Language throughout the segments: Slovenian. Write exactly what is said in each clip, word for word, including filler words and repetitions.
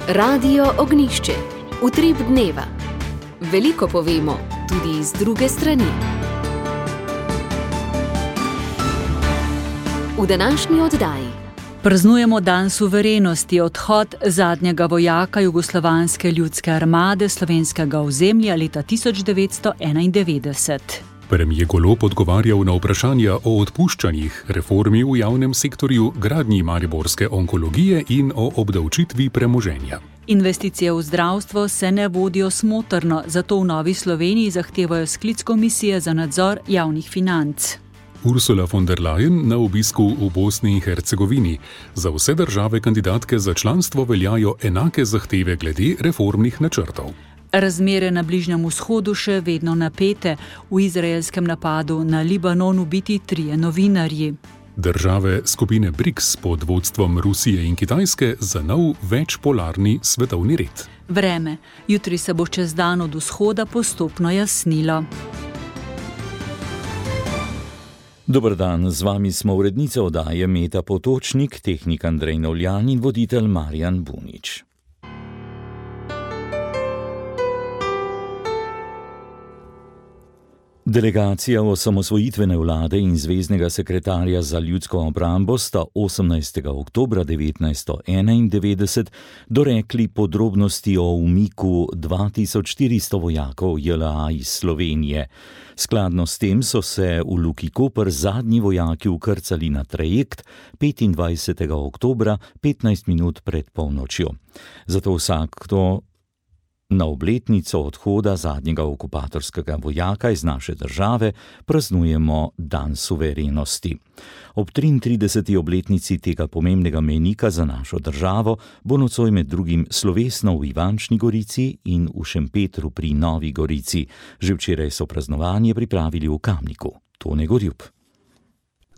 Radio Ognjišče. Utrip dneva. Veliko povemo, tudi iz druge strani. V današnji oddaji praznujemo dan suverenosti, odhod zadnjega vojaka Jugoslovanske ljudske armade slovenskega ozemlja leta tisoč devetsto enaindevetdeset. Premier Golob odgovarjal na vprašanja o odpuščanjih, reformi v javnem sektorju, gradnji mariborske onkologije in o obdavčitvi premoženja. Investicije v zdravstvo se ne vodijo smotrno, zato v Novi Sloveniji zahtevajo sklic komisije za nadzor javnih financ. Ursula von der Leyen na obisku v Bosni in Hercegovini. Za vse države kandidatke za članstvo veljajo enake zahteve glede reformnih načrtov. Razmere na Bližnjem vzhodu še vedno napete. V izraelskem napadu na Libanon ubiti trije novinarji. Države skupine briks pod vodstvom Rusije in Kitajske za nov večpolarni svetovni red. Vreme. Jutri se bo čez dan od vzhoda postopno jasnilo. Dober dan, z vami smo urednica oddaje Meta Potočnik, tehnik Andrej Novljan in voditelj Marjan Bunič. Delegacija osamosvojitvene vlade in zveznega sekretarja za ljudsko obrambo sta osemnajstega oktobra devetnajststo enaindevetdeset dorekli podrobnosti o umiku dva tisoč štiristo vojakov J L A iz Slovenije. Skladno s tem so se v Luki Koper zadnji vojaki vkrcali na trajekt petindvajsetega oktobra petnajst minut pred polnočjo. Zato vsakdo na obletnico odhoda zadnjega okupatorskega vojaka iz naše države praznujemo dan suverenosti. Ob triintrideseti obletnici tega pomembnega mejnika za našo državo bo nocoj med drugim slovesno v Ivančni Gorici in v Šempetru pri Novi Gorici. Že včeraj so praznovanje pripravili v Kamniku. Tone Gorjup.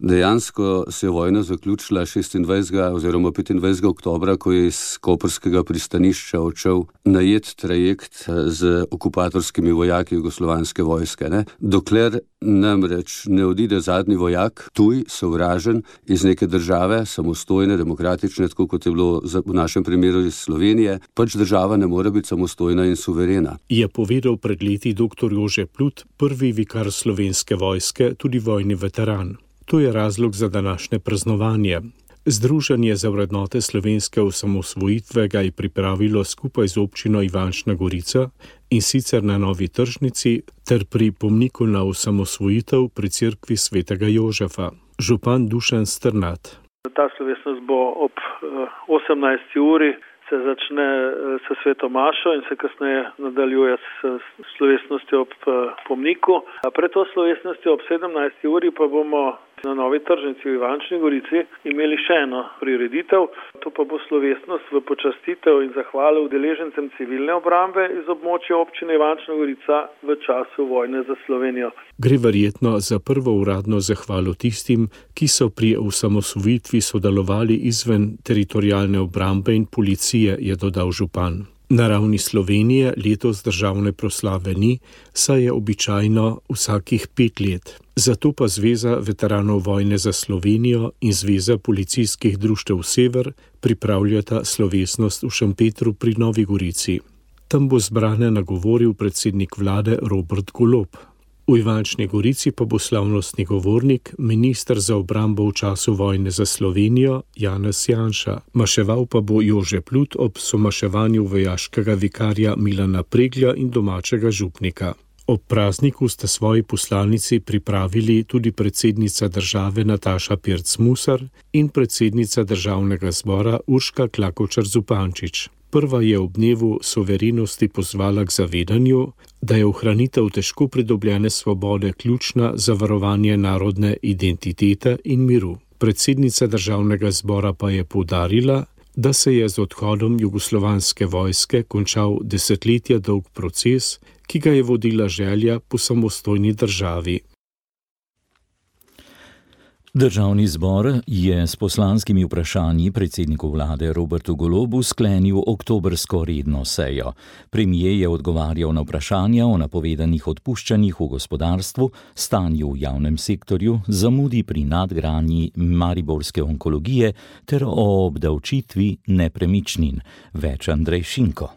Dejansko se je vojna zaključila šestindvajsetega oziroma petindvajsetega oktobra, ko je iz koprskega pristanišča odšel najet trajekt z okupatorskimi vojaki jugoslovanske vojske. Ne? Dokler namreč ne odide zadnji vojak, tuj, sovražen, iz neke države, samostojne, demokratične, tako kot je bilo v našem primeru iz Slovenije, pač država ne more biti samostojna in suverena. Je povedal pred leti doktor Jože Plut, prvi vikar slovenske vojske, tudi vojni veteran. To je razlog za današnje praznovanje. Združenje za vrednote slovenske osamosvojitve ga je pripravilo skupaj z občino Ivančna Gorica in sicer na Novi tržnici ter pri pomniku na osamosvojitev pri cerkvi svetega Jožefa. Župan Dušan Strnad. Ta slovesnost bo ob osemnajsti uri, se začne s sveto mašo in se kasneje nadaljuje s slovesnostjo ob pomniku. Pred to slovesnostjo ob sedemnajsti uri pa bomo na Novi tržnici v Ivančni Gorici imeli še eno prireditev. To pa bo slovesnost v počastitev in zahvalo udeležencem civilne obrambe iz območja občine Ivančna Gorica v času vojne za Slovenijo. Gre verjetno za prvo uradno zahvalo tistim, ki so pri osamosvojitvi sodelovali izven teritorialne obrambe in policije, je dodal župan. Na ravni Slovenije letos državne proslave ni, saj je običajno vsakih pet let. Zato pa Zveza veteranov vojne za Slovenijo in Zveza policijskih društev Sever pripravljata slovesnost v Šempetru pri Novi Gorici. Tam bo zbrane nagovoril predsednik vlade Robert Golob. V Ivančni Gorici pa bo slavnostni govornik, minister za obrambo v času vojne za Slovenijo, Janez Janša. Maševal pa bo Jože Plut ob somaševanju vojaškega vikarja Milana Preglja in domačega župnika. Ob prazniku sta svoji poslanici pripravili tudi predsednica države Nataša Pirc Musar in predsednica državnega zbora Urška Klakočar Zupančič. Prva je ob dnevu suverenosti pozvala k zavedanju, da je ohranitev težko pridobljene svobode ključna za varovanje narodne identitete in miru. Predsednica državnega zbora pa je poudarila, da se je z odhodom jugoslovanske vojske končal desetletja dolg proces, ki ga je vodila želja po samostojni državi. Državni zbor je s poslanskimi vprašanji predsedniku vlade Robertu Golobu sklenil oktobrsko redno sejo. Premier je odgovarjal na vprašanja o napovedanih odpuščanjih v gospodarstvu, stanju v javnem sektorju, zamudi pri nadgradnji mariborske onkologije ter o obdavčitvi nepremičnin. Več Andrej Šinko.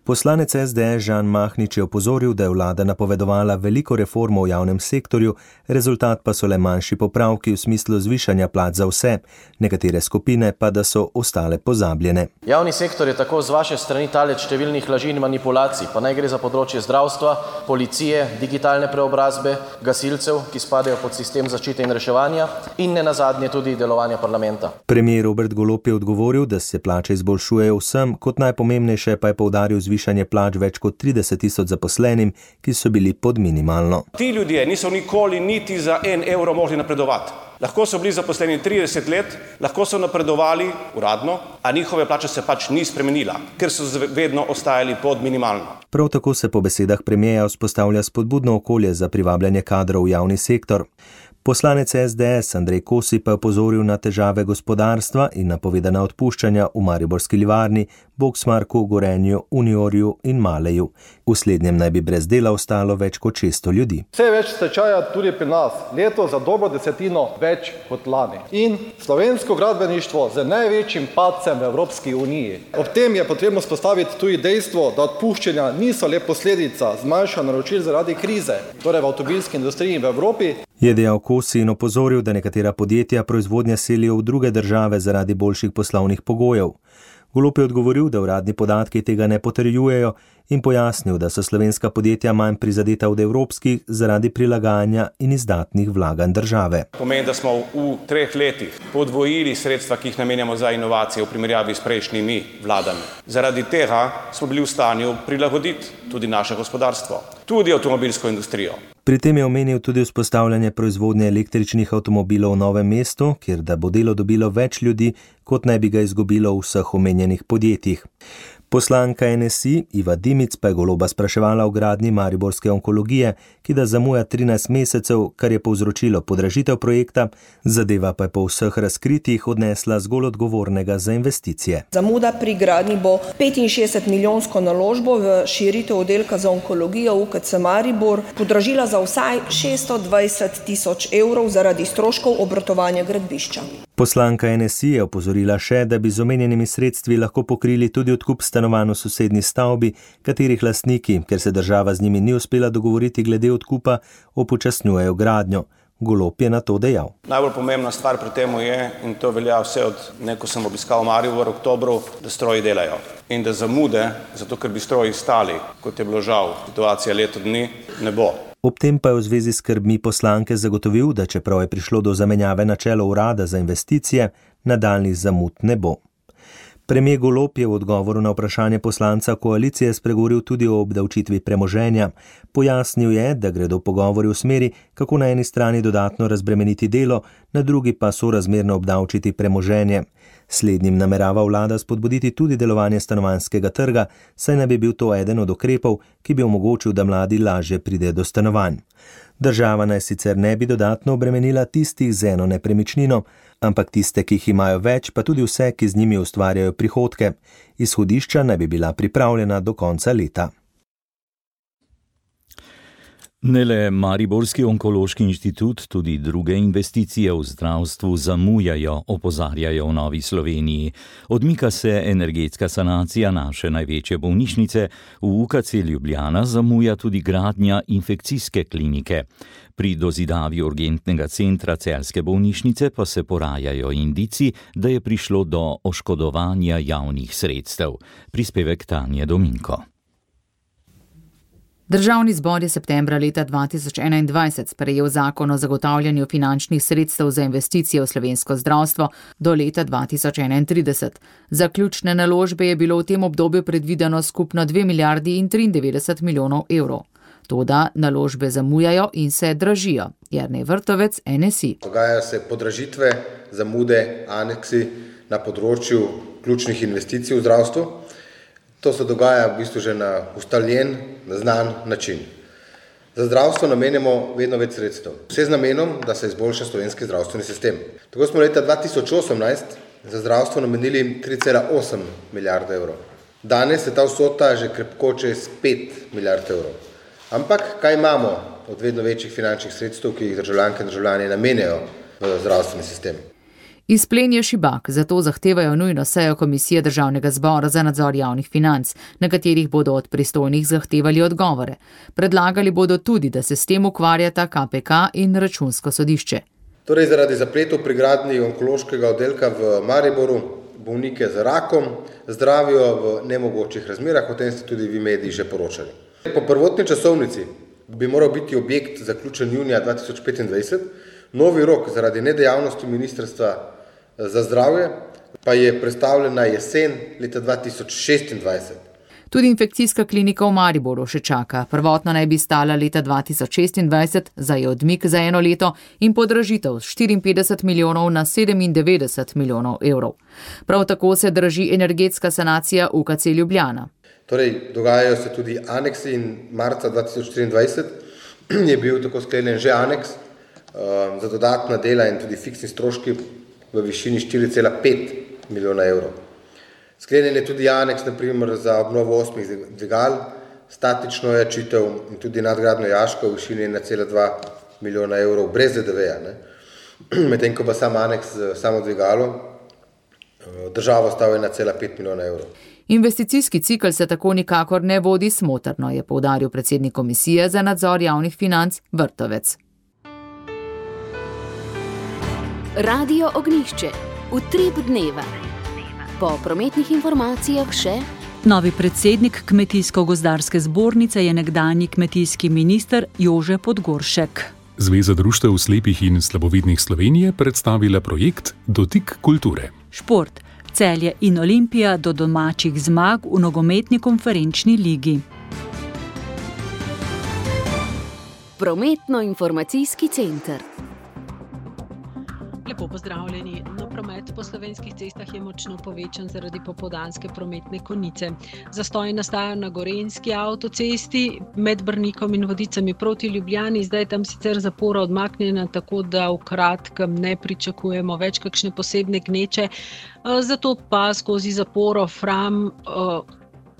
Poslanec es de es Žan Mahnič je opozoril, da je vlada napovedovala veliko reformo v javnem sektorju, rezultat pa so le manjši popravki v smislu zvišanja plač za vse, nekatere skupine pa da so ostale pozabljene. Javni sektor je tako z vaše strani talec številnih laži in manipulacij, pa naj gre za področje zdravstva, policije, digitalne preobrazbe, gasilcev, ki spadajo pod sistem zaščite in reševanja in ne nazadnje tudi delovanja parlamenta. Premier Robert Golob je odgovoril, da se plače izboljšujejo vsem, kot najpomembnejše pa je poudaril zvišanje plač več kot trideset tisoč zaposlenim, ki so bili pod minimalno. Ti ljudje niso nikoli niti za en evro mogli napredovati. Lahko so bili zaposleni trideset let, lahko so napredovali uradno, a njihove plače se pač ni spremenila, ker so vedno ostajali pod minimalno. Prav tako se po besedah premierja vzpostavlja spodbudno okolje za privabljanje kadrov v javni sektor. Poslanec es de es Andrej Kosi pa je opozoril na težave gospodarstva in napovedana odpuščanja v mariborski livarni, Boxmarku, Gorenju, Uniorju in Maleju. V slednjem naj bi brez dela ostalo več kot šeststo ljudi. Vse več stečaja tudi pri nas, leto za dobro desetino več kot lani. In slovensko gradbeništvo z največjim padcem v Evropski uniji. Ob tem je potrebno spostaviti tudi dejstvo, da odpuščanja niso le posledica zmanjšanja naročil zaradi krize, torej v avtomobilski industriji in v Evropi. Je dejal Kosi in opozoril, da nekatera podjetja proizvodnje selijo v druge države zaradi boljših poslovnih pogojev. Golob je odgovoril, da uradni podatki tega ne potrjujejo in pojasnil, da so slovenska podjetja manj prizadeta od evropskih zaradi prilagajanja in izdatnih vlaganj države. Pomeni, da smo v treh letih podvojili sredstva, ki jih namenjamo za inovacije v primerjavi s prejšnjimi vladami. Zaradi tega smo bili v stanju prilagoditi tudi naše gospodarstvo, tudi avtomobilsko industrijo. Pri tem je omenil tudi vzpostavljanje proizvodnje električnih avtomobilov v Novem mestu, kjer da bo delo dobilo več ljudi, kot naj bi ga izgubilo v vseh omenjenih podjetjih. Poslanka en es i Iva Dimic pa je Goloba spraševala o gradnji mariborske onkologije, ki da zamuja trinajst mesecev, kar je povzročilo podražitev projekta, zadeva pa je po vseh razkritjih odnesla zgolj odgovornega za investicije. Zamuda pri gradnji bo petinšestdeset milijonsko naložbo v širitev oddelka za onkologijo U K C Maribor podražila za vsaj šeststo dvajset tisoč evrov zaradi stroškov obratovanja gradbišča. Poslanka en es i je opozorila še, da bi z omenjenimi sredstvi lahko pokrili tudi odkup stanovanj v sosednji stavbi, katerih lastniki, ker se država z njimi ni uspela dogovoriti glede odkupa, upočasnjujejo gradnjo. Golob je na to dejal. Najbolj pomembna stvar pri tem je, in to velja vse od neko sem obiskal Maribor v oktobru, da stroji delajo. In da zamude, zato ker bi stroji stali, kot je bilo žal situacija leto dni, ne bo. Ob tem pa je v zvezi s skrbmi poslanke zagotovil, da čeprav je prišlo do zamenjave na čelo urada za investicije, nadaljnjih zamud ne bo. Premier Golob je v odgovoru na vprašanje poslanca koalicije spregovoril tudi o obdavčitvi premoženja. Pojasnil je, da gredo pogovori v smeri, kako na eni strani dodatno razbremeniti delo, na drugi pa sorazmerno obdavčiti premoženje. Slednjim namerava vlada spodbuditi tudi delovanje stanovanjskega trga, saj naj bi bil to eden od ukrepov, ki bi omogočil, da mladi lažje pride do stanovanj. Država naj sicer ne bi dodatno obremenila tistih z eno nepremičnino, ampak tiste, ki jih imajo več, pa tudi vse, ki z njimi ustvarjajo prihodke. Izhodišča naj bi bila pripravljena do konca leta. Ne le Mariborski onkološki inštitut, tudi druge investicije v zdravstvu zamujajo, opozarjajo v Novi Sloveniji. Odmika se energetska sanacija naše največje bolnišnice, v U K C Ljubljana zamuja tudi gradnja infekcijske klinike. Pri dozidavi urgentnega centra celjske bolnišnice pa se porajajo indici, da je prišlo do oškodovanja javnih sredstev. Prispevek Tanje Dominko. Državni zbor je septembra leta dva tisoč enaindvajset sprejel zakon o zagotavljanju finančnih sredstev za investicije v slovensko zdravstvo do leta dva tisoč enaintrideset. Za ključne naložbe je bilo v tem obdobju predvideno skupno dve milijardi in triindevetdeset milijonov evrov. Toda naložbe zamujajo in se dražijo. Jernej Vrtovec, en es i. Dogajajo se podražitve, zamude, aneksi na področju ključnih investicij v zdravstvu. To se dogaja v bistvu že na ustaljen, na znan način. Za zdravstvo namenjamo vedno več sredstev, vse z namenom, da se izboljša slovenski zdravstveni sistem. Tako smo leta dva tisoč osemnajst za zdravstvo namenili tri cela osem milijarde evrov. Danes je ta vsota že krepko čez pet milijard evrov. Ampak kaj imamo od vedno večjih finančnih sredstev, ki jih državljanke in državljani namenjajo v zdravstveni sistem? Izplen je šibak, zato zahtevajo nujno sejo Komisije Državnega zbora za nadzor javnih financ, na katerih bodo od pristojnih zahtevali odgovore. Predlagali bodo tudi, da se s tem ukvarjata K P K in Računsko sodišče. Torej, zaradi zapletov pri gradnji onkološkega oddelka v Mariboru bolnike z rakom zdravijo v nemogočih razmerah, o tem ste tudi vi mediji že poročali. Po prvotni časovnici bi moral biti objekt zaključen junija dva tisoč petindvajset, novi rok zaradi nedejavnosti Ministrstva za zdravje pa je prestavljen na jesen leta dva tisoč šestindvajset. Tudi infekcijska klinika v Mariboru še čaka. Prvotno naj bi stala leta dva tisoč šestindvajset, za je odmik za eno leto in podražitev z štiriinpetdeset milijonov na sedemindevetdeset milijonov evrov. Prav tako se draži energetska sanacija U K C Ljubljana. Torej, dogajajo se tudi aneksi in marca dva tisoč triindvajset je bil tako sklenjen že aneks uh, za dodatna dela in tudi fiksni stroški v višini štiri cela pet milijona evrov. Sklenjen je tudi aneks, na primer, za obnovo osmih dvigal, statično jačitev in tudi nadgradnjo jaška v višini ena cela dva milijona evrov brez D D V-ja. Medtem ko pa sam aneks z samo dvigalo državo stavi ena cela pet milijona evrov. Investicijski cikl se tako nikakor ne vodi smotrno, je poudaril predsednik Komisije za nadzor javnih financ Vrtovec. Radio Ognjišče. Utrip dneva. Po prometnih informacijah še... Novi predsednik Kmetijsko-gozdarske zbornice je nekdanji kmetijski minister Jože Podgoršek. Zveza društev slepih in slabovidnih Slovenije predstavila projekt Dotik kulture. Šport. Celje in Olimpija do domačih zmag v nogometni konferenčni ligi. Prometno-informacijski center. Lepo pozdravljeni. No, promet po slovenskih cestah je močno povečan zaradi popoldanske prometne konice. Zastoji nastajajo na Gorenjski avtocesti med Brnikom in Vodicami proti Ljubljani. Zdaj tam sicer zapora odmaknjena, tako da v kratkem ne pričakujemo več kakšne posebne gneče. Zato pa skozi zaporo Fram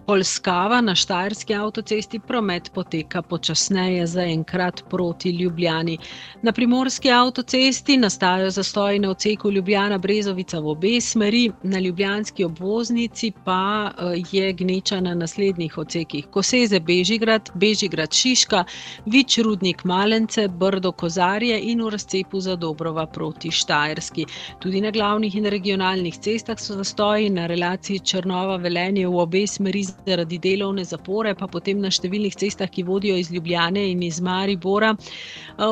Polskava na Štajerski avtocesti promet poteka počasneje zaenkrat proti Ljubljani. Na Primorski avtocesti nastajajo zastoji na odseku Ljubljana-Brezovica v obe smeri, na ljubljanski obvoznici pa je gneča na naslednjih odsekih: Koseze-Bežigrad, Bežigrad-Šiška, Vič-Rudnik-Malence, Brdo-Kozarje in v razcepu Zadobrova proti Štajerski. Tudi na glavnih in regionalnih cestah so zastoji, na relaciji Črnova-Velenje v obe smeri zaradi delovne zapore, pa potem na številnih cestah, ki vodijo iz Ljubljane in iz Maribora,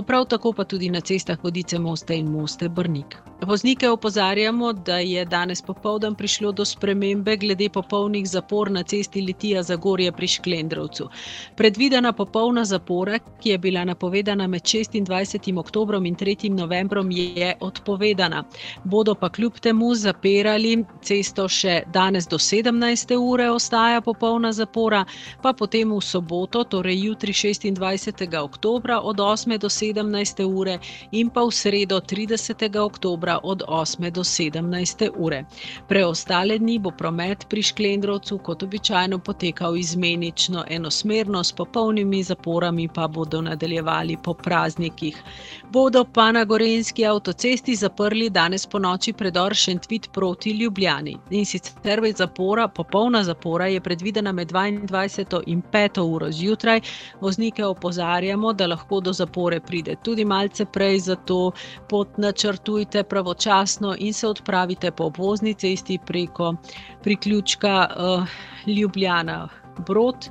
prav tako pa tudi na cestah Vodice-Moste in Moste-Brnik. Voznike opozarjamo, da je danes popoldan prišlo do spremembe glede popolnih zapor na cesti Litija-Zagorje pri Šklendrovcu. Predvidena popolna zapora, ki je bila napovedana med šestindvajsetim oktobrom in tretjim novembrom, je odpovedana. Bodo pa kljub temu zapirali cesto še danes do sedemnajste ure ostaja popolna zapora, pa potem v soboto, torej jutri šestindvajsetega oktobra od osme do sedemnajste ure in pa v sredo tridesetega oktobra od osme do sedemnajste ure. Preostale dni bo promet pri Šklendrovcu kot običajno potekal izmenično enosmerno, s popolnimi zaporami pa bodo nadaljevali po praznikih. Bodo pa na Gorenjski avtocesti zaprli danes ponoči predor Šentvid proti Ljubljani. In sicer zapora, popolna zapora je predvidena med dvaindvajseto in peto uro zjutraj. Voznike opozarjamo, da lahko do zapore pride tudi malce prej, zato pot načrtujte pravočasno in se odpravite po obvozni cesti preko priključka uh, Ljubljana-Brod,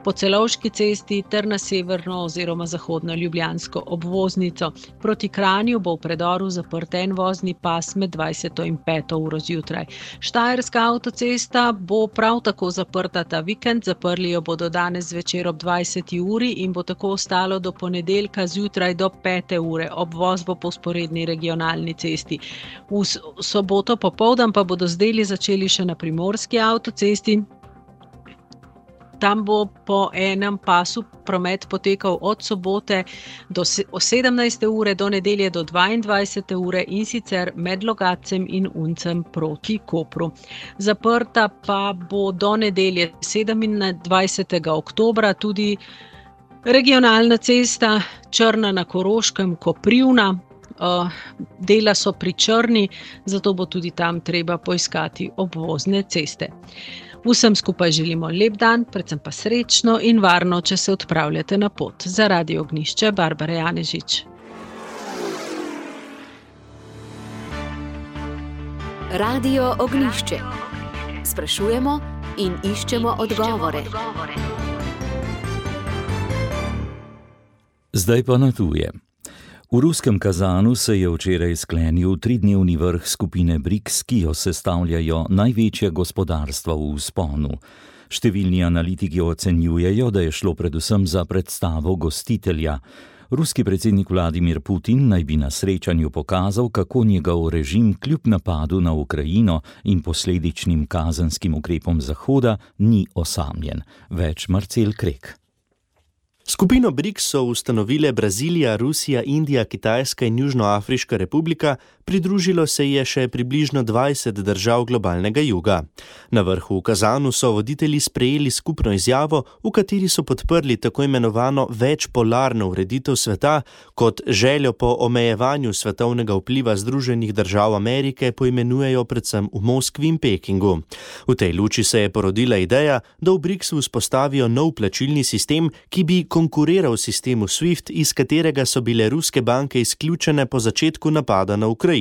po Celovški cesti ter na severno oziroma zahodno ljubljansko obvoznico. Proti Kranju bo v predoru zaprt en vozni pas med dvajseto in peto uro zjutraj. Štajerska avtocesta bo prav tako zaprta ta vikend, zaprli jo bodo danes zvečer ob dvajseti uri in bo tako ostalo do ponedeljka zjutraj do pete ure. Obvoz bo po vzporedni regionalni cesti. V soboto popoldan pa bodo z deli začeli še na Primorski avtocesti. Tam bo po enem pasu promet potekal od sobote do sedemnajste ure do nedelje do dvaindvajsete ure in sicer med Logatcem in Uncem proti Kopru. Zaprta pa bo do nedelje sedemindvajsetega oktobra tudi regionalna cesta Črna na Koroškem Koprivna. Dela so pri Črni, zato bo tudi tam treba poiskati obvozne ceste. Vsem skupaj želimo lep dan, predvsem pa srečno in varno, če se odpravljate na pot. Za Radio Ognjišče, Barbara Janežič. Radio Ognjišče. Sprašujemo in iščemo odgovore. Zdaj pa na tuje. V ruskem Kazanu se je včeraj sklenil tridnevni vrh skupine briks, ki jo sestavljajo največja gospodarstva v vzponu. Številni analitiki ocenjujejo, da je šlo predvsem za predstavo gostitelja. Ruski predsednik Vladimir Putin naj bi na srečanju pokazal, kako njegov režim kljub napadu na Ukrajino in posledičnim kazenskim ukrepom Zahoda ni osamljen. Več Marcel Krek. Skupino briks so ustanovile Brazilija, Rusija, Indija, Kitajska in Južnoafriška republika, pridružilo se je še približno dvajset držav globalnega juga. Na vrhu v Kazanu so voditelji sprejeli skupno izjavo, v kateri so podprli tako imenovano večpolarno ureditev sveta, kot željo po omejevanju svetovnega vpliva Združenih držav Amerike poimenujejo predvsem v Moskvi in Pekingu. V tej luči se je porodila ideja, da v briksu vzpostavijo nov plačilni sistem, ki bi konkuriral sistemu SWIFT, iz katerega so bile ruske banke izključene po začetku napada na Ukrajino.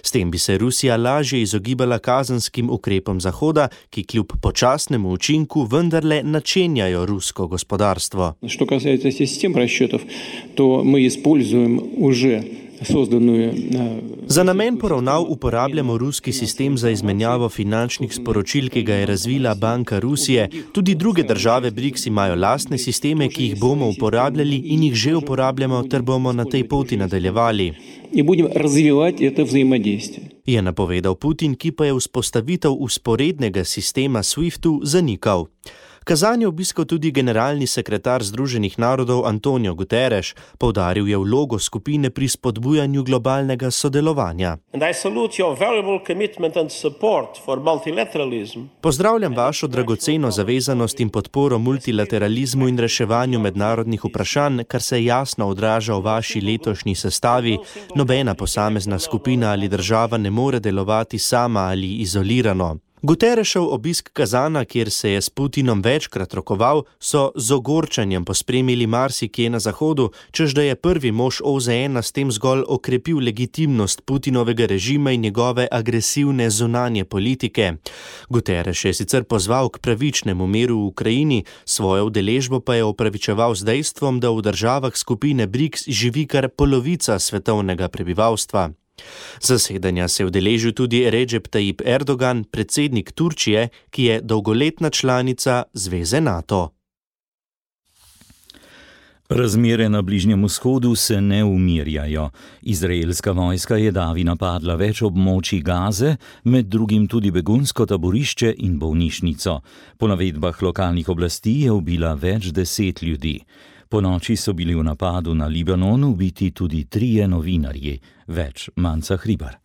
S tem bi se Rusija lažje izogibala kazenskim ukrepom Zahoda, ki kljub počasnemu učinku vendarle načenjajo rusko gospodarstvo. Što kасается систем расчетов, то мы используем уже Za namen poravnav uporabljamo ruski sistem za izmenjavo finančnih sporočil, ki ga je razvila Banka Rusije. Tudi druge države briks imajo lastne sisteme, ki jih bomo uporabljali in jih že uporabljamo, ter bomo na tej poti nadaljevali. Je napovedal Putin, ki pa je vzpostavitev vzporednega sistema SWIFT-u zanikal. Kazan je obiskal tudi generalni sekretar Združenih narodov Antonio Guterres, poudaril je vlogo skupine pri spodbujanju globalnega sodelovanja. Pozdravljam vašo dragoceno zavezanost in podporo multilateralizmu in reševanju mednarodnih vprašanj, kar se jasno odraža v vaši letošnji sestavi. Nobena posamezna skupina ali država ne more delovati sama ali izolirano. Guterresov obisk Kazana, kjer se je s Putinom večkrat rokoval, so z ogorčanjem pospremili marsikje na Zahodu, čež da je prvi mož O Z N s tem zgolj okrepil legitimnost Putinovega režima in njegove agresivne zunanje politike. Guterres je sicer pozval k pravičnemu miru v Ukrajini, svojo udeležbo pa je opravičeval z dejstvom, da v državah skupine briks živi kar polovica svetovnega prebivalstva. Zasedanja se je udeležil tudi Recep Tayyip Erdogan, predsednik Turčije, ki je dolgoletna članica Zveze NATO. Razmere na Bližnjem vzhodu se ne umirjajo. Izraelska vojska je davi napadla več območij Gaze, med drugim tudi begunsko taborišče in bolnišnico. Po navedbah lokalnih oblasti je ubila več deset ljudi. Po noči so bili v napadu na Libanon ubiti tudi trije novinarji. Več Manca Hribar.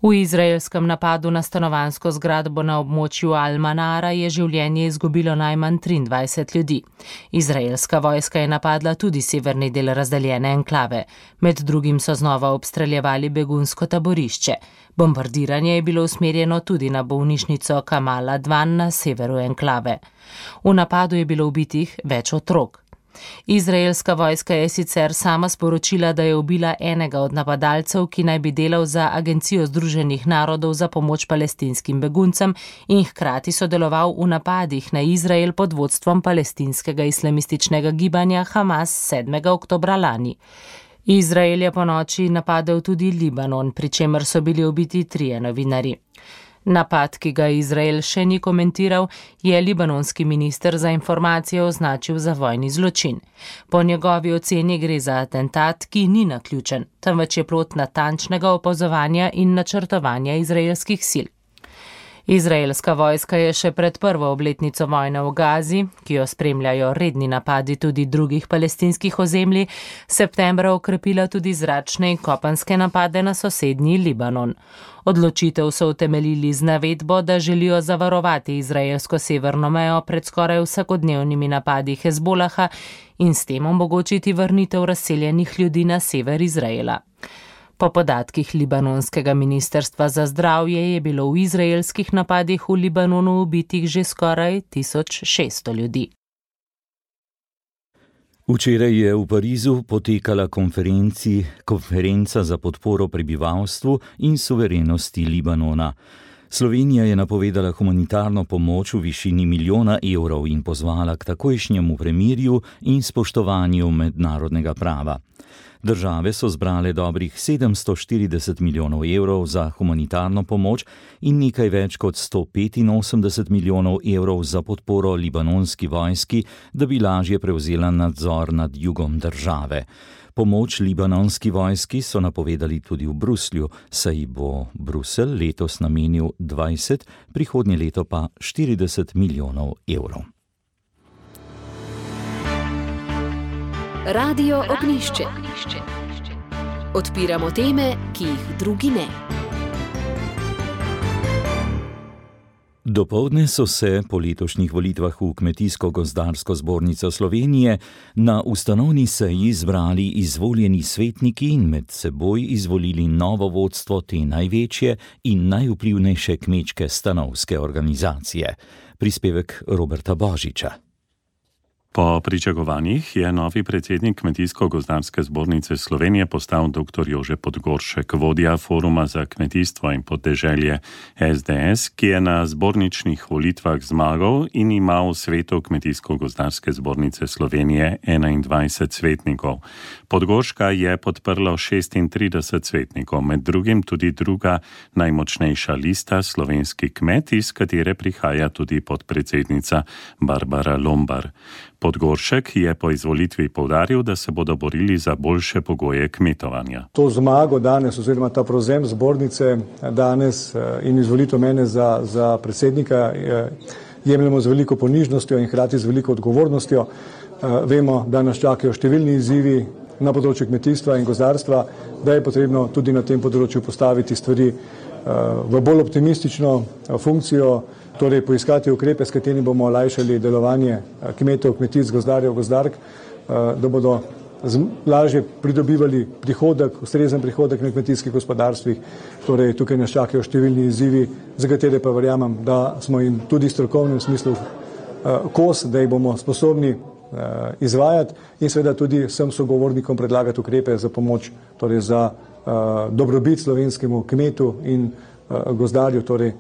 V izraelskem napadu na stanovanjsko zgradbo na območju Al-Manara je življenje izgubilo najmanj triindvajset ljudi. Izraelska vojska je napadla tudi severni del razdeljene enklave. Med drugim so znova obstreljevali begunsko taborišče. Bombardiranje je bilo usmerjeno tudi na bolnišnico Kamal Advan na severu enklave. V napadu je bilo ubitih več otrok. Izraelska vojska je sicer sama sporočila, da je ubila enega od napadalcev, ki naj bi delal za Agencijo Združenih narodov za pomoč palestinskim beguncem in hkrati sodeloval v napadih na Izrael pod vodstvom palestinskega islamističnega gibanja Hamas sedmega oktobra lani. Izrael je po noči napadel tudi Libanon, pri čemer so bili ubiti trije novinarji. Napad, ki ga Izrael še ni komentiral, je libanonski minister za informacije označil za vojni zločin. Po njegovi oceni gre za atentat, ki ni naključen, temveč je plod natančnega opazovanja in načrtovanja izraelskih sil. Izraelska vojska je še pred prvo obletnico vojne v Gazi, ki jo spremljajo redni napadi tudi drugih palestinskih ozemlji, septembra okrepila tudi zračne in kopenske napade na sosednji Libanon. Odločitev so utemeljili z navedbo, da želijo zavarovati izraelsko severno mejo pred skoraj vsakodnevnimi napadi Hezbolaha in s tem omogočiti vrnitev razseljenih ljudi na sever Izraela. Po podatkih libanonskega ministrstva za zdravje je bilo v izraelskih napadih v Libanonu ubitih že skoraj tisoč šeststo ljudi. Včeraj je v Parizu potekala konferenca za podporo prebivalstvu in suverenosti Libanona. Slovenija je napovedala humanitarno pomoč v višini milijona evrov in pozvala k takojšnjemu premirju in spoštovanju mednarodnega prava. Države so zbrale dobrih sedemsto štirideset milijonov evrov za humanitarno pomoč in nekaj več kot sto petinosemdeset milijonov evrov za podporo libanonski vojski, da bi lažje prevzela nadzor nad jugom države. Pomoč libanonski vojski so napovedali tudi v Bruslju, saj bo Bruselj letos namenil dvajset, prihodnje leto pa štirideset milijonov evrov. Radio Ognjišče. Odpiramo teme, ki jih drugi ne. Dopoldne so se po letošnjih volitvah v Kmetijsko-gozdarsko zbornico Slovenije na ustanovni seji zbrali izvoljeni svetniki in med seboj izvolili novo vodstvo te največje in najvplivnejše kmečke stanovske organizacije. Prispevek Roberta Božiča. Po pričakovanjih je novi predsednik Kmetijsko-gozdarske zbornice Slovenije postal dr. Jože Podgoršek, vodja Foruma za kmetijstvo in podeželje S D S, ki je na zborničnih volitvah zmagal in ima v svetu Kmetijsko-gozdarske zbornice Slovenije enaindvajset svetnikov. Podgorška je podprlo šestintrideset svetnikov, med drugim tudi druga najmočnejša lista Slovenski kmet, iz katere prihaja tudi podpredsednica Barbara Lombar. Podgoršek je po izvolitvi poudaril, da se bodo borili za boljše pogoje kmetovanja. To zmago danes oziroma ta prevzem zbornice danes in izvolitev mene za, za predsednika jemljemo z veliko ponižnostjo in hkrati z veliko odgovornostjo. Vemo, da nas čakajo številni izzivi na področju kmetijstva in gozdarstva, da je potrebno tudi na tem področju postaviti stvari v bolj optimistično funkcijo, torej poiskati ukrepe, s katerimi bomo olajšali delovanje kmetov, kmetic, gozdarjev, gozdark, da bodo lažje pridobivali prihodek, ustrezen prihodek na kmetijskih gospodarstvih. Torej tukaj nas čakajo številni izzivi, za katere pa verjamem, da smo jim tudi v strokovnem smislu kos, da jih bomo sposobni izvajati in seveda tudi vsem sogovornikom predlagati ukrepe za pomoč, torej za dobrobit slovenskemu kmetu in gozdarju. Torej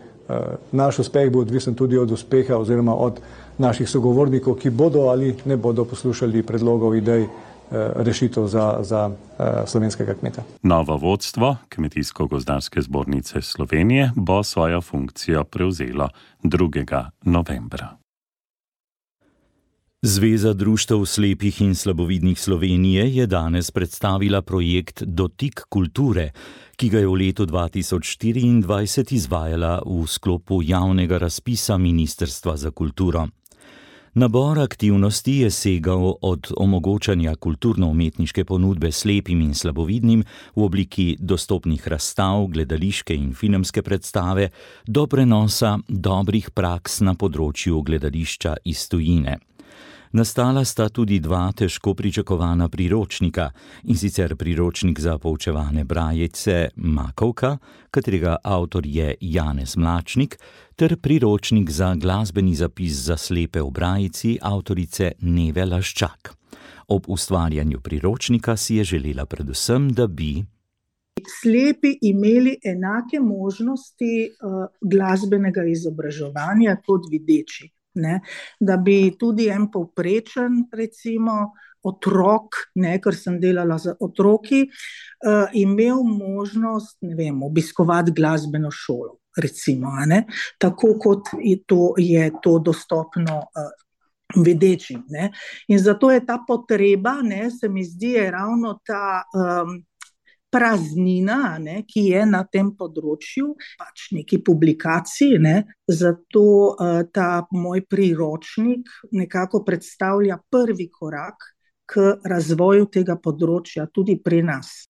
naš uspeh bo odvisen tudi od uspeha oziroma od naših sogovornikov, ki bodo ali ne bodo poslušali predlogov, idej, rešitev za, za slovenskega kmeta. Novo vodstvo Kmetijsko-gozdarske zbornice Slovenije bo svojo funkcijo prevzelo drugega novembra. Zveza društev slepih in slabovidnih Slovenije je danes predstavila projekt Dotik kulture, ki ga je v letu dva tisoč štiriindvajset izvajala v sklopu javnega razpisa Ministrstva za kulturo. Nabor aktivnosti je segal od omogočanja kulturno-umetniške ponudbe slepim in slabovidnim v obliki dostopnih razstav, gledališke in filmske predstave do prenosa dobrih praks na področju gledališča iz tujine. Nastala sta tudi dva težko pričakovana priročnika, in sicer priročnik za poučevane brajece Makovka, katerega avtor je Janez Mlačnik, ter priročnik za glasbeni zapis za slepe v brajici avtorice Neve Laščak. Ob ustvarjanju priročnika si je želela predvsem, da bi slepi imeli enake možnosti uh, glasbenega izobraževanja kot videči. Ne, da bi tudi en povprečen, recimo, otrok, ne, ker sem delala z otroki, uh, imel možnost, ne vem, obiskovati glasbeno šolo, recimo, ne, tako kot je to, je to dostopno uh, vedečim. Ne. In zato je ta potreba, ne, se mi zdi, je ravno ta, um, praznina, ne, ki je na tem področju, pač neki publikaciji, ne, zato uh, ta moj priročnik nekako predstavlja prvi korak k razvoju tega področja tudi pri nas.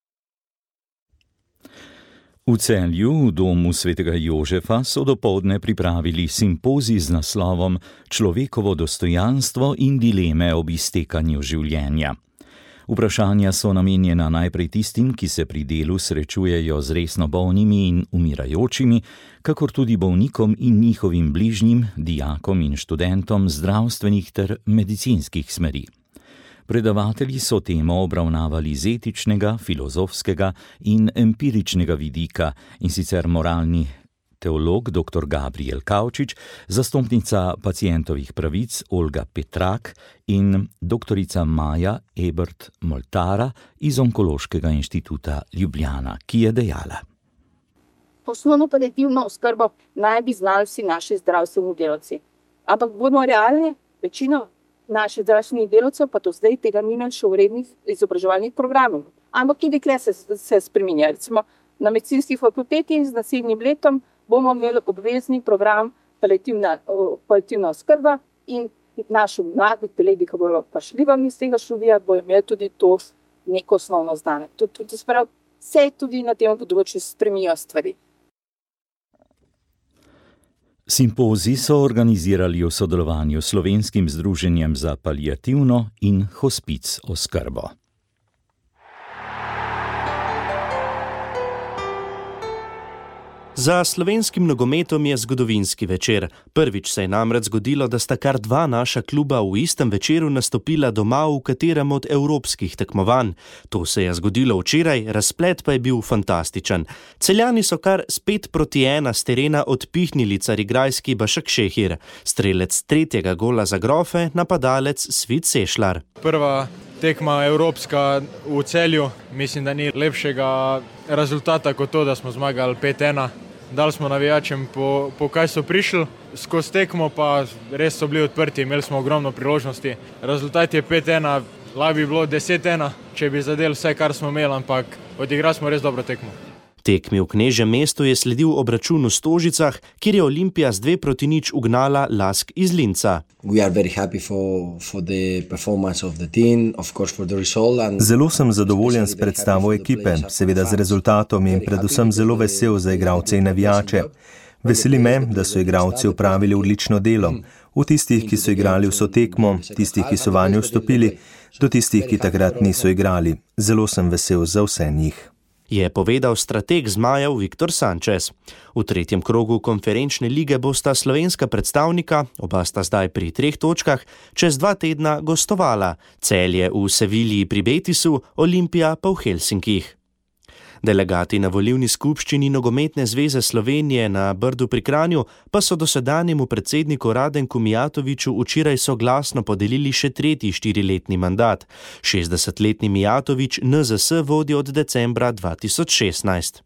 V Celju, v domu svetega Jožefa, so dopoldne pripravili simpozij z naslovom Človekovo dostojanstvo in dileme ob iztekanju življenja. Vprašanja so namenjena najprej tistim, ki se pri delu srečujejo z resno bolnimi in umirajočimi, kakor tudi bolnikom in njihovim bližnjim, dijakom in študentom zdravstvenih ter medicinskih smeri. Predavatelji so temo obravnavali z etičnega, filozofskega in empiričnega vidika, in sicer moralni teolog dr. Gabriel Kavčič, zastopnica pacientovih pravic Olga Petrak in doktorica Maja Ebert Moltara iz Onkološkega inštituta Ljubljana, ki je dejala. Osnovno paliativno oskrbo naj bi znali vsi naši zdravstveni delavci. Ampak bomo realni, večino naših zdravstvenih delavcev pa do zdaj tega ni imeli še v rednih izobraževalnih programov. Ampak tudi tukaj se, se spreminja. Recimo na medicinski fakulteti z naslednjim letom bomo imeli obvezni program paliativna, paliativna oskrba in naši mladi kolegi, ki bodo prišli vam iz tega študija, bodo imeli tudi to neko osnovno znanje. Tudi sprav, vse tudi na tem področju spremenijo stvari. Simpozij so organizirali v sodelovanju s Slovenskim združenjem za paliativno in hospic oskrbo. Za slovenskim nogometom je zgodovinski večer. Prvič se je namreč zgodilo, da sta kar dva naša kluba v istem večeru nastopila doma v katerem od evropskih tekmovanj. To se je zgodilo včeraj, razplet pa je bil fantastičen. Celjani so kar s pet proti ena s terena odpihnili carigrajski Bašak Šehir. Strelec tretjega gola za Grofe, napadalec Svit Sešlar. Prva tekma evropska v Celju, mislim, da ni lepšega rezultata kot to, da smo zmagali pet ena. Dali smo navijačem po, po kaj so prišli, skozi tekmo pa res so bili odprti, imeli smo ogromno priložnosti. Rezultat je pet ena, lahko bi bilo deset ena, če bi zadeli vse, kar smo imeli, ampak odigrali smo res dobro tekmo. Tekmi v Knežjem mestu je sledil obračun v Stožicah, kjer je Olimpija z dve proti nič ugnala Lask iz Linca. Zelo sem zadovoljen s predstavo ekipe, seveda z rezultatom in predvsem zelo vesel za igralce in navijače. Veseli me, da so igralci opravili odlično delo. V tistih, ki so igrali vso tekmo, tistih, ki so vanjo vstopili, do tistih, ki takrat niso igrali. Zelo sem vesel za vse njih. Je povedal strateg zmajev Viktor Sančes. V tretjem krogu konferenčne lige bosta slovenska predstavnika, oba sta zdaj pri treh točkah, čez dva tedna gostovala. Celje v Sevilji pri Betisu, Olimpija pa v Helsinkih. Delegati na volilni skupščini Nogometne zveze Slovenije na Brdu pri Kranju pa so dosedanjemu predsedniku Radenku Mijatoviću včeraj soglasno podelili še tretji štiriletni mandat. šestdesetletni Mijatović N Z S vodi od decembra dva tisoč šestnajst.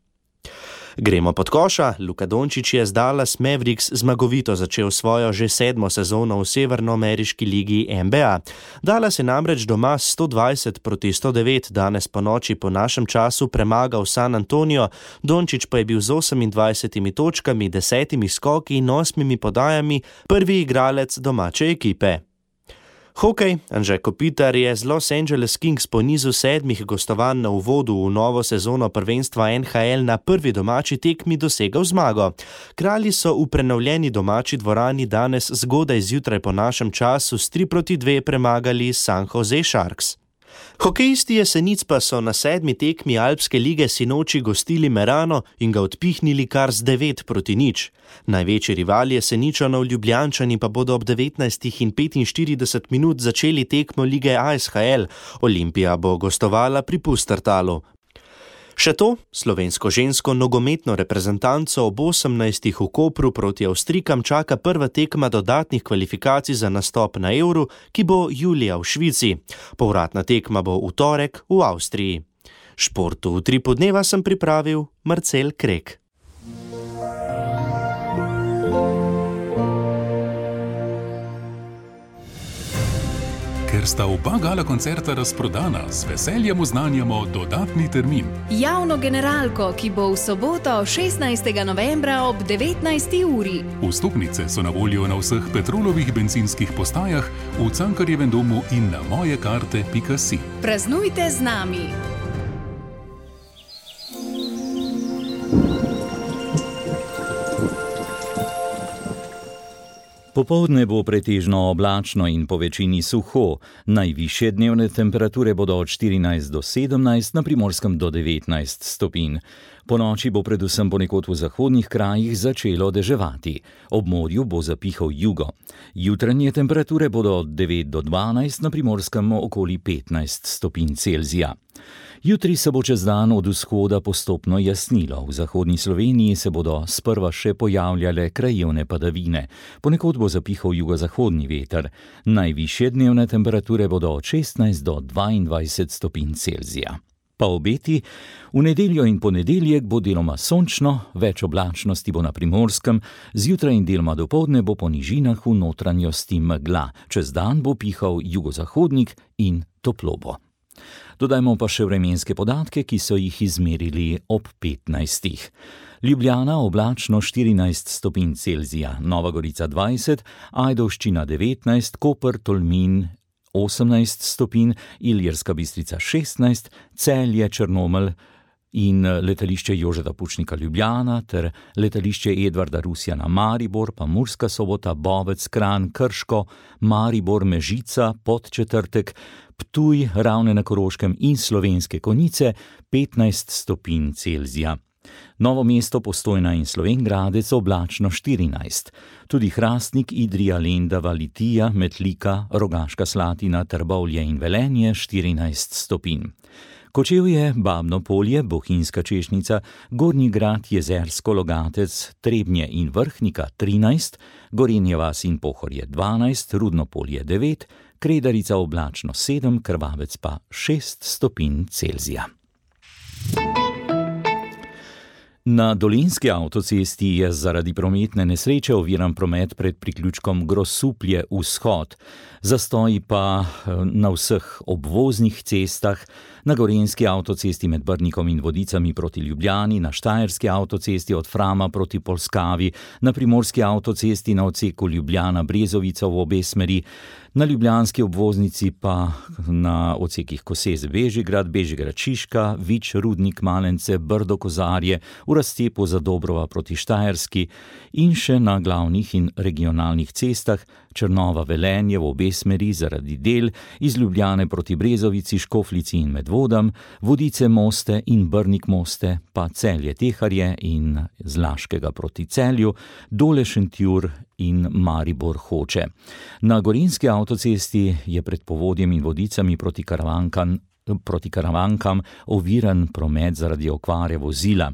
Gremo pod koša. Luka Dončić je z Dallas Mavericks zmagovito začel svojo že sedmo sezono v severnoameriški ligi N B A. Dallas je namreč doma sto dvajset proti sto devet danes po noči po našem času premagal San Antonio, Dončić pa je bil z osemindvajsetimi točkami, desetimi skoki in osmimi podajami prvi igralec domače ekipe. Hokej. Anže Kopitar je z Los Angeles Kings po nizu sedmih gostovanj na uvodu v novo sezono prvenstva N H L na prvi domači tekmi dosegel zmago. Kralji so v prenovljeni domači dvorani danes zgodaj zjutraj po našem času s tri proti dve premagali San Jose Sharks. Hokejisti Jesenic pa so na sedmi tekmi Alpske lige sinoči gostili Merano in ga odpihnili kar z devet proti nič. Največji rival Jeseničanov Ljubljančani pa bodo ob devetnajstih in petinštirideset minut začeli tekmo lige A S H L. Olimpija bo gostovala pri Pustertalu. Še to, slovensko žensko nogometno reprezentanco ob osemnajstih v Kopru proti Avstrijkam čaka prva tekma dodatnih kvalifikacij za nastop na Euru, ki bo julija v Švici. Povratna tekma bo v torek v Avstriji. Športu v tri podneva sem pripravil Marcel Krek. Ker sta oba gala koncerta razprodana, z veseljem oznanjamo dodatni termin. Javno generalko, ki bo v soboto šestnajstega novembra ob devetnajsti uri. Vstopnice so na voljo na vseh Petrolovih bencinskih postajah, v Cankarjevem domu in na mojekarte pika si. Praznujte z nami! Popoldne bo pretežno oblačno in po večini suho. Najvišje dnevne temperature bodo od štirinajst do sedemnajst, na Primorskem do devetnajst stopinj. Po noči bo predvsem ponekod v zahodnih krajih začelo deževati. Ob morju bo zapihal jugo. Jutranje temperature bodo od devet do dvanajst, na Primorskem okoli petnajst stopinj Celzija. Jutri se bo čez dan od vzhoda postopno jasnilo. V zahodni Sloveniji se bodo sprva še pojavljale krajevne padavine. Ponekod bo zapihal jugozahodni veter. Najvišje dnevne temperature bodo od šestnajst do dvaindvajset stopinj Celzija. Pa obeti, v nedeljo in ponedeljek bo deloma sončno, več oblačnosti bo na Primorskem, zjutraj in deloma dopoldne bo po nižinah v notranjosti megla. Čez dan bo pihal jugozahodnik in toplo bo. Dodajmo pa še vremenske podatke, ki so jih izmerili ob petnajstih. Ljubljana oblačno štirinajst stopinj Celzija, Nova Gorica dvajset, Ajdovščina devetnajst, Koper, Tolmin osemnajst stopinj, Ilirska Bistrica šestnajst, Celje, Črnomelj in letališče Jožeta Pučnika Ljubljana ter letališče Edvarda Rusjana Maribor, pa Murska Sobota, Bovec, Kranj, Krško, Maribor, Mežica, Podčetrtek, Ptuj, Ravne na Koroškem in Slovenske Konjice petnajst stopinj Celzija. Novo mesto, Postojna in Slovenj Gradec oblačno štirinajst. Tudi Hrastnik, Idrija, Lendava, Litija, Metlika, Rogaška Slatina, Trbovlje in Velenje štirinajst stopinj. Kočevje, Babno Polje, Bohinjska Češnica, Gornji Grad, Jezersko, Logatec, Trebnje in Vrhnika trinajst, Gorenje vas in Pohorje dvanajst, Rudno Polje devet, Kredarica oblačno sedem, Krvavec pa šest stopinj Celzija. Na Dolenjski avtocesti je zaradi prometne nesreče oviran promet pred priključkom Grosuplje vzhod. Zastoji pa na vseh obvoznih cestah, na Gorenjski avtocesti med Brnikom in Vodicami proti Ljubljani, na Štajerski avtocesti od Frama proti Polskavi, na Primorski avtocesti na odseku Ljubljana-Brezovica v obe smeri, na ljubljanski obvoznici pa na odsekih Koseze-Bežigrad, Bežigrad-Šiška, Vič-Rudnik, Malence, Brdo-Kozarje, v razcepu Zadobrova proti Štajerski in še na glavnih in regionalnih cestah Črnova-Velenje v obe smeri zaradi del, iz Ljubljane proti Brezovici, Škoflici in Medvodam, Vodice-Moste in Brnik-Moste, pa Celje-Teharje in z Laškega proti Celju, Dole-Šentjur in Maribor-Hoče. Na Gorenjski avtocesti je pred Povodjem in Vodicami proti Karavankam, proti Karavankam oviran promet zaradi okvare vozila.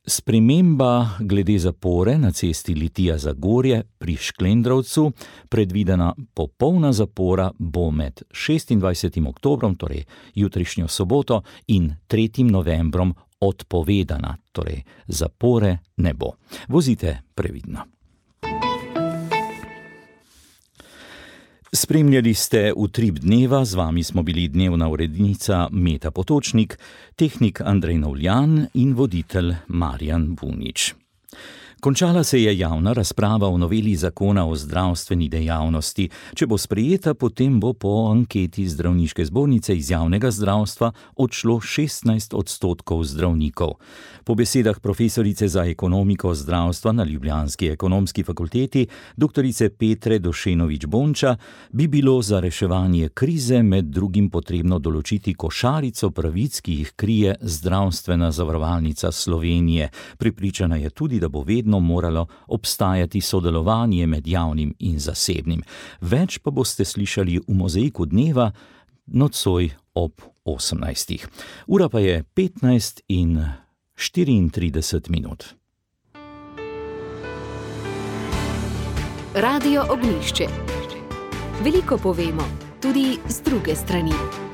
Sprememba glede zapore na cesti Litija-Zagorje pri Šklendrovcu, predvidena popolna zapora bo med šestindvajsetim oktobrom, torej jutrišnjo soboto, in tretjim novembrom odpovedana, torej zapore ne bo. Vozite previdno. Spremljali ste Utrip dneva, z vami smo bili dnevna urednica Meta Potočnik, tehnik Andrej Novljan in voditelj Marjan Bunič. Končala se je javna razprava o noveli zakona o zdravstveni dejavnosti. Če bo sprejeta, potem bo po anketi Zdravniške zbornice iz javnega zdravstva odšlo šestnajst odstotkov zdravnikov. Po besedah profesorice za ekonomiko zdravstva na ljubljanski ekonomski fakulteti, doktorice Petre Došenović-Bonča, bi bilo za reševanje krize med drugim potrebno določiti košarico pravic, ki jih krije Zdravstvena zavarovalnica Slovenije. Prepričana je tudi, da bo vedno moralo obstajati sodelovanje med javnim in zasebnim. Več pa boste slišali v Mozaiku dneva nocoj ob osemnajstih. Ura pa je petnajst in štiriintrideset minut. Radio Ognjišče. Veliko povemo, tudi z druge strani.